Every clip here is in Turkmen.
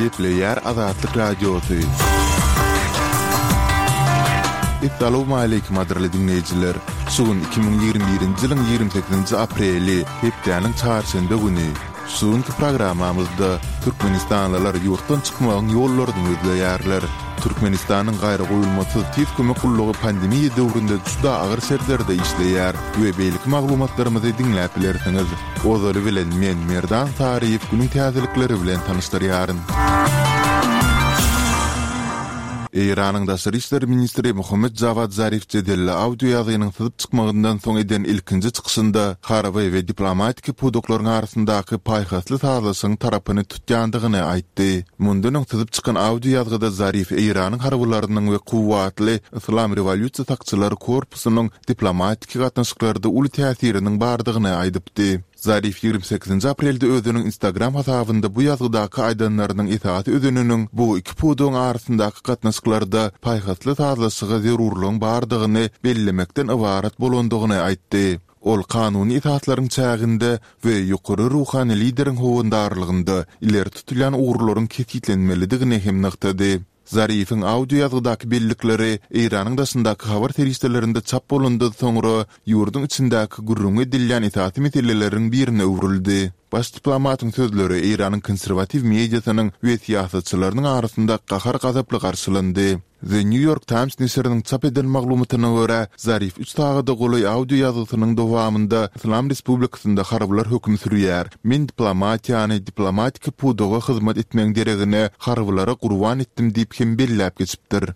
Gepleýär Azatlyk Radiosy. Essalawmaleýkim gadyrly diňleýjiler! Şu gün 2021-nji ýylyň 28-nji apreli, hepdäniň çarşenbe güni. Şu günki programmamyzda türkmenistanlylar ýurtdan çykmagyň ýollaryny gözleýärler. Türkmenistanyň Gaýragoýulmasyz tiz kömek gullugy pandemiýa döwründe juda agyr şertlerde işleýär we beýleki maglumatlarymyzy diňläp bilersiňiz. Ozaly bilen men, Merdan Saryýew günüň täzelikleri bilen tanyşdyrýaryn. Eýranyň daşary işler ministri Mohammed Jawad Zarif jedelli audio ýazgynyň syzyp çykmagyndan soň eden ilkinji çykyşynda harby we diplomatiki pudaklaryň arasyndaky paýhasly sazlaşygyň tarapyny tutýandygyny aýtdy. Mundan öň syzyp çykan audio ýazgyda Zarif Eýranyň harbylarynyň we kuwwatly Yslam rewolýusiýa sakçylary korpusynyň diplomatiki gatnaşyklarda uly täsiriniň bardygyny aýdypdy. Zarif 28-nji aprelde özüniň Instagram hasabynda bu ýazgydaky aýdanlarynyň esasy özeniniň bu iki pudagyň arasyndaky gatnaşyklarda paýhasly sazlaşyga zerurlygyň bardygyny bellemekden ybarat bolandygyny aýtdy. Ol kanuny esaslaryň çäginde we ýokary ruhany lideriň howandarlygynda ileri tutulýan ugurlaryň kesgitlenmelidigini hem nygtady. Zarifiň audio ýazgydaky bellikleri Eýranyň daşyndaky habar serişdelerinde çap bolandan soňra ýurduň içindäki gürrüňi edilýän esasy meseleleriň birine öwrüldi. Baş diplomatyň sözleri Eýranyň konserwatiw mediasynyň we syýasatçylarynyň arasynda gahar-gazaply garşylandy. The New York Times neşiriniň çap eden maglumatyna görä, Zarif üç sagada golaý audio ýazgysynyň dowamynda Yslam Respublikasynda harbylar höküm sürýär, men diplomatiýany, diplomatiki pudaga hyzmat etmegiň deregine harbylara gurban etdim diýip hem belläp geçipdir.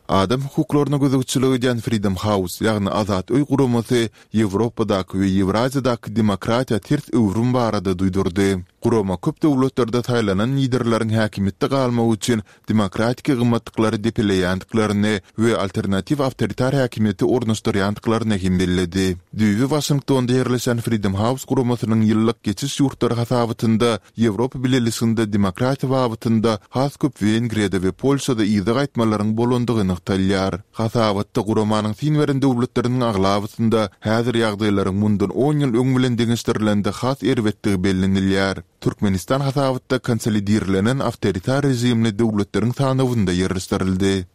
Adam hukuklaryna gözegçilik edýän Freedom House, ýagny Azat öý guramasy Ýewropadaky we Ýewraziýadaky demokratiýa ters öwrüm barada duýdurdy. Gurama köp döwletlerde saýlanan liderleriň häkimiýetde galmagy üçin demokratiki gymmatlyklary depeleýändiklerini we alternatiw awtoritar häkimiýeti ornaşdyrýandyklaryny hem belledi. Düýbi Waşingtonda ýerleşen Freedom House guramasynyň ýyllyk Geçiş ýurtlary hasabatynda Ýewropa Bileleşiginde demokratiýa babatynda has köp Wengriýada we Polşada yza gaýtmalaryň bolandygy nygtalýar. Hasabatda guramanyň syn beren döwletleriniň aglabasynda häzir ýagdaýlaryň mundan on ýyl öň bilen deňeşdirilende has erbetdigi bellenilýär. Türkmenistan hasabatda konsolidirlenen awtoritar režimli döwletleriň sanawynda ýerleşdirildi.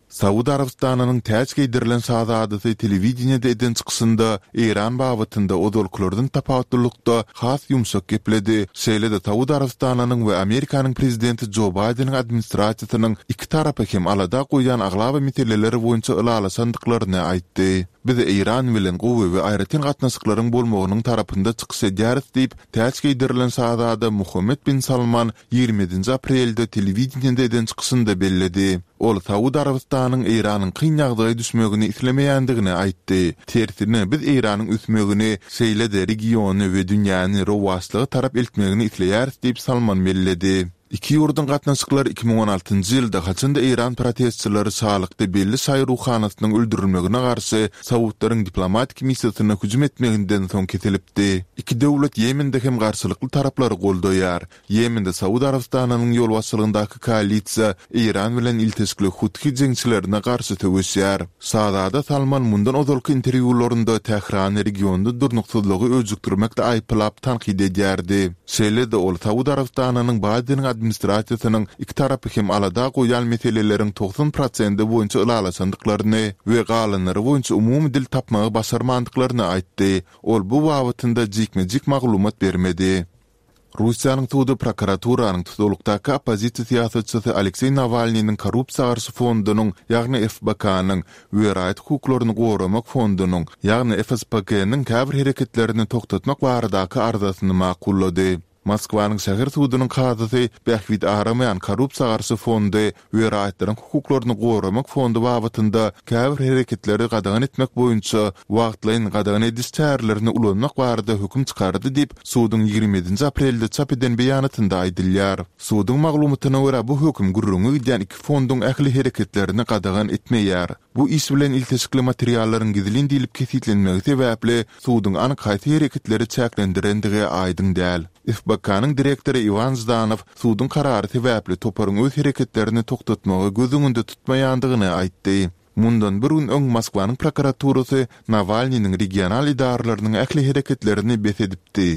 Saud Arabystanynyň täç geýdirilen şazadasy telewideniýede eden çykyşynda Eýran babatynda ozalkylardan tapawutlylykda has ýumşak gepledi, şeýle-de Saud Arabystanynyň we Amerikanyň prezidenti Jo Baýdeniň administrasiýasynyň iki tarapy hem alada goýýan aglaba meseleler boýunça ylalaşandyklaryny aýtdy. Biz Eýran bilen gowy we aýratyn gatnaşyklaryň bolmagynyň tarapynda çykyş edýäris diýip, Täç geýdirilen şazada Muhammed bin Salman 27-nji aprelde telewideniýede eden çykyşynda belledi. Ol Saud Arabystanyň Eýranyň kyn ýagdaýa düşmegini islemeýändigini aýtdy. Tersine, biz Eýranyň ösmegini, şeýle-de regiony we dünýäni rowaçlyga tarap eltmegini isleýäris diýip Salman belledi. Iki ýurduň gatnaşyklary 2016-njy ýylda, haçan-da eýran protestçileri şalykda belli şaýy ruhanasynyň öldürilmegine garşy saudlaryň diplomatik missiýasyna hüjüm etmeginden soň kesilipdi. Iki döwlet Ýemende hem garşylykly taraplary goldaýar. Ýemende Saud Arabystanynyň ýolbaşçylygyndaky koalisiýa Eýran bilen ilteşikli Huthi jeňçilerine garşy söweşýär. Şazada Salman mundan ozalky interwýularynda Tährany regionda durnuksyzlygy öjükdirmekde aýyplap tankyt edýärdi. Şeýle-de ol Saud Arabystanynyň Baýdeniň administrasiýasynyň iki tarapy hem alada goýýan meseleleriň 90 prosendi boýunça ylalaşandyklaryny we galanlary boýunça umumy dil tapmagy başarmandyklaryny aýtdy. Ol bu babatynda jikme-jik maglumat bermedi. Russiýanyň sudy prokuraturanyň tusaglykdaky oppozisiýa syýasatçysy Alekseý Nawalnynyň korrupsiýa garşy fondunyň, ýagny FBK-nyň we raýat hukuklaryny goramak fondunyň, ýagny FSPK-nyň käbir hereketlerini togtatmak baradaky arzasyny makullady. Moskwanyň şäher sudunyň kazysy bähbit aramaýan korrupsiýa garşy fondy we raýatlaryň hukuklaryny goramak fondy babatynda käbir hereketleri gadagan etmek boýunça wagtlaýyn gadagan ediş çärelerini ulanmak barada höküm çykardy diýip, suduň 27-nji aprelde çap eden beýanatynda aýdylýar. Suduň maglumatyna görä, bu höküm gürrüňi gidýän iki fonduň ähli hereketlerini gadagan etmeýär. Bu iş bilen ilteşikli materiallaryň gizlin diýlip kesgitlenmegi sebäpli, suduň anyk haýsy hereketleri çäklendirendigi aýdyň däl. FBK-nyň direktory Iwan Ždanow suduň karary sebäpli toparyň öz hereketlerini togtatmagy göz öňünde tutmaýandygyny aýtdy. Mundan bir gün öň Moskwanyň prokuraturasy Nawalnynyň regional edaralarynyň ähli hereketlerini bes edipdi.